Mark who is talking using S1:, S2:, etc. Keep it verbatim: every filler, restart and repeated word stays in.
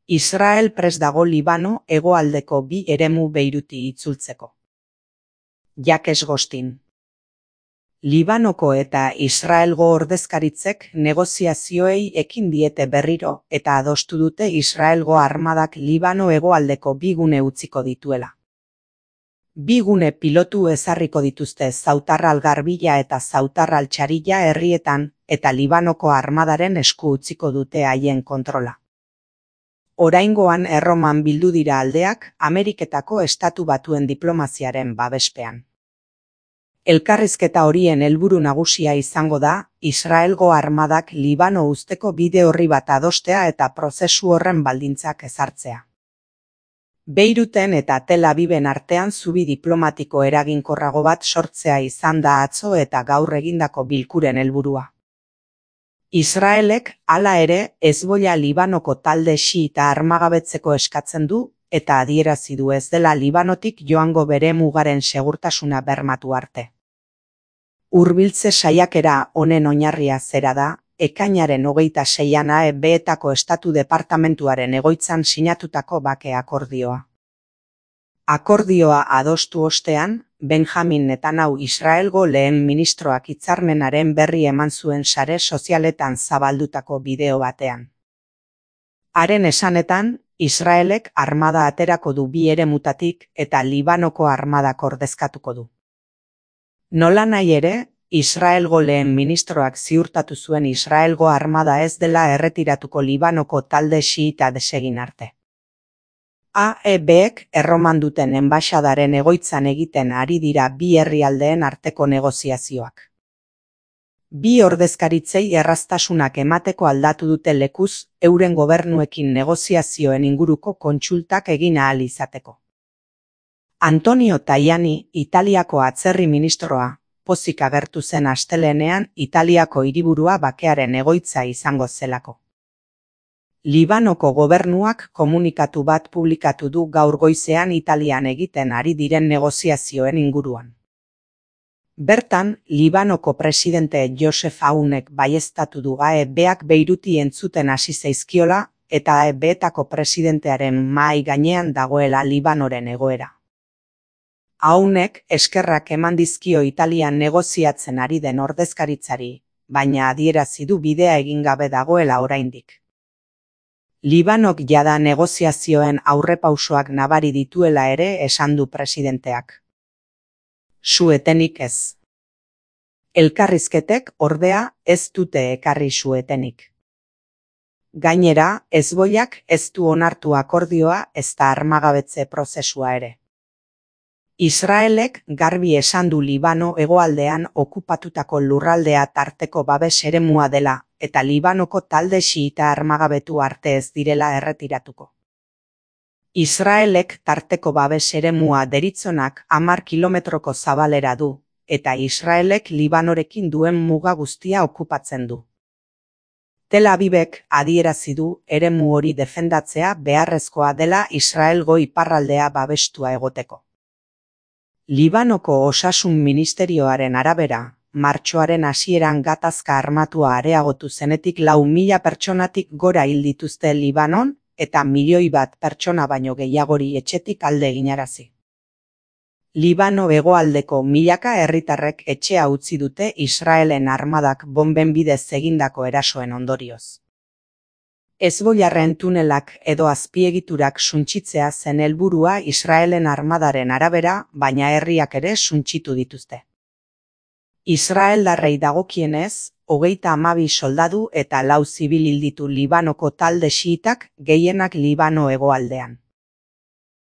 S1: Israel prest dago Libano hegoaldeko bi eremu Beiruti itzultzeko. Jacques Gostin. Libanoko eta Israelgo ordezkaritzek negoziazioei ekin diete berriro eta adostu dute Israelgo armadak Libano hegoaldeko bi gune utziko dituela. Bi gune pilotu ezarriko dituzte Zautarral Garbila eta Zautarral Txarilla herrietan eta Libanoko armadaren esku utziko dute haien kontrola. Oraingoan Erroman bildu dira aldeak Ameriketako Estatu Batuen diplomaziaren babespean. Elkarrizketa horien helburu nagusia izango da, Israelgo armadak Libano uzteko bide orri bat adostea eta prozesu horren baldintzak ezartzea. Beiruten eta Tel Aviven artean zubi diplomatiko eraginkorrago bat sortzea izan da atzo eta gaur egindako bilkuren helburua. Israelek, hala ere, Hezbollah Libanoko talde xiita armagabetzeko eskatzen du eta adierazi du ez dela Libanotik joango bere mugaren segurtasuna bermatu arte. Hurbiltze saiakera honen oinarria zera da, ekainaren hogeita seian A E B-etako Estatu Departamentuaren egoitzan sinatutako bake akordioa. Akordioa adostu ostean, Benjamin Netanyahu Israelgo lehen ministroak hitzarmenaren berri eman zuen sare sozialetan zabaldutako bideo batean. Haren esanetan, Israelek armada aterako du bi eremutatik eta Libanoko armadak ordezkatuko du. Nolanahi ere, Israelgo lehen ministroak ziurtatu zuen Israelgo armada ez dela erretiratuko Libanoko talde xiita desegin arte. A E B-ek Erroman duten enbaxadaren egoitzan egiten ari dira bi herrialdeen arteko negoziazioak. Bi ordezkaritzei erraztasunak emateko aldatu dute lekuz euren gobernuekin negoziazioen inguruko kontsultak egin ahal izateko. Antonio Tajani, Italiako atzerri ministroa, pozik agertu zen astelehenean Italiako hiriburua bakearen egoitza izango zelako. Libanoko gobernuak komunikatu bat publikatu du gaur goizean Italian egiten ari diren negoziazioen inguruan. Bertan, Libanoko presidente Joseph Aunek baieztatu du A E B-ak Beiruti entzuten hasi zaizkiola eta A E B-etako presidentearen mahai gainean dagoela Libanoren egoera. Aunek eskerrak eman dizkio Italian negoziatzen ari den ordezkaritzari, baina adierazi du bidea egin gabe dagoela oraindik. Libanok jada negoziazioen aurrepausoak nabari dituela ere esan du presidenteak. Su-etenik ez. Elkarrizketek, ordea, ez dute ekarri su-etenik. Gainera, Hezbollak ez du onartu akordioa ezta armagabetze prozesua ere. Israelek garbi esan du Libano hegoaldean okupatutako lurraldea tarteko babes eremua dela eta Libanoko talde xiita armagabetu arte ez direla erretiratuko. Israelek tarteko babes eremua deritzonak hamar kilometroko zabalera du, eta Israelek Libanorekin duen muga guztia okupatzen du. Tel Avivek adierazi du eremu hori defendatzea beharrezkoa dela Israelgo iparraldea babestua egoteko. Libanoko Osasun Ministerioaren arabera, martxoaren hasieran gatazka armatua areagotu zenetik lau mila pertsonatik gora hil dituzte Libanon eta milioi bat pertsona baino gehiagori etxetik alde eginarazi. Libano hegoaldeko milaka herritarrek etxea utzi dute Israelen armadak bonben bidez egindako erasoen ondorioz. Hezbollarren tunelak edo azpiegiturak suntsitzea zen helburua Israelen armadaren arabera, baina herriak ere suntsitu dituzte. Israeldarrei dagokienez, hogeita hamabi soldadu eta lau zibil hil ditu Libanoko talde xiitak, gehienak Libano hegoaldean.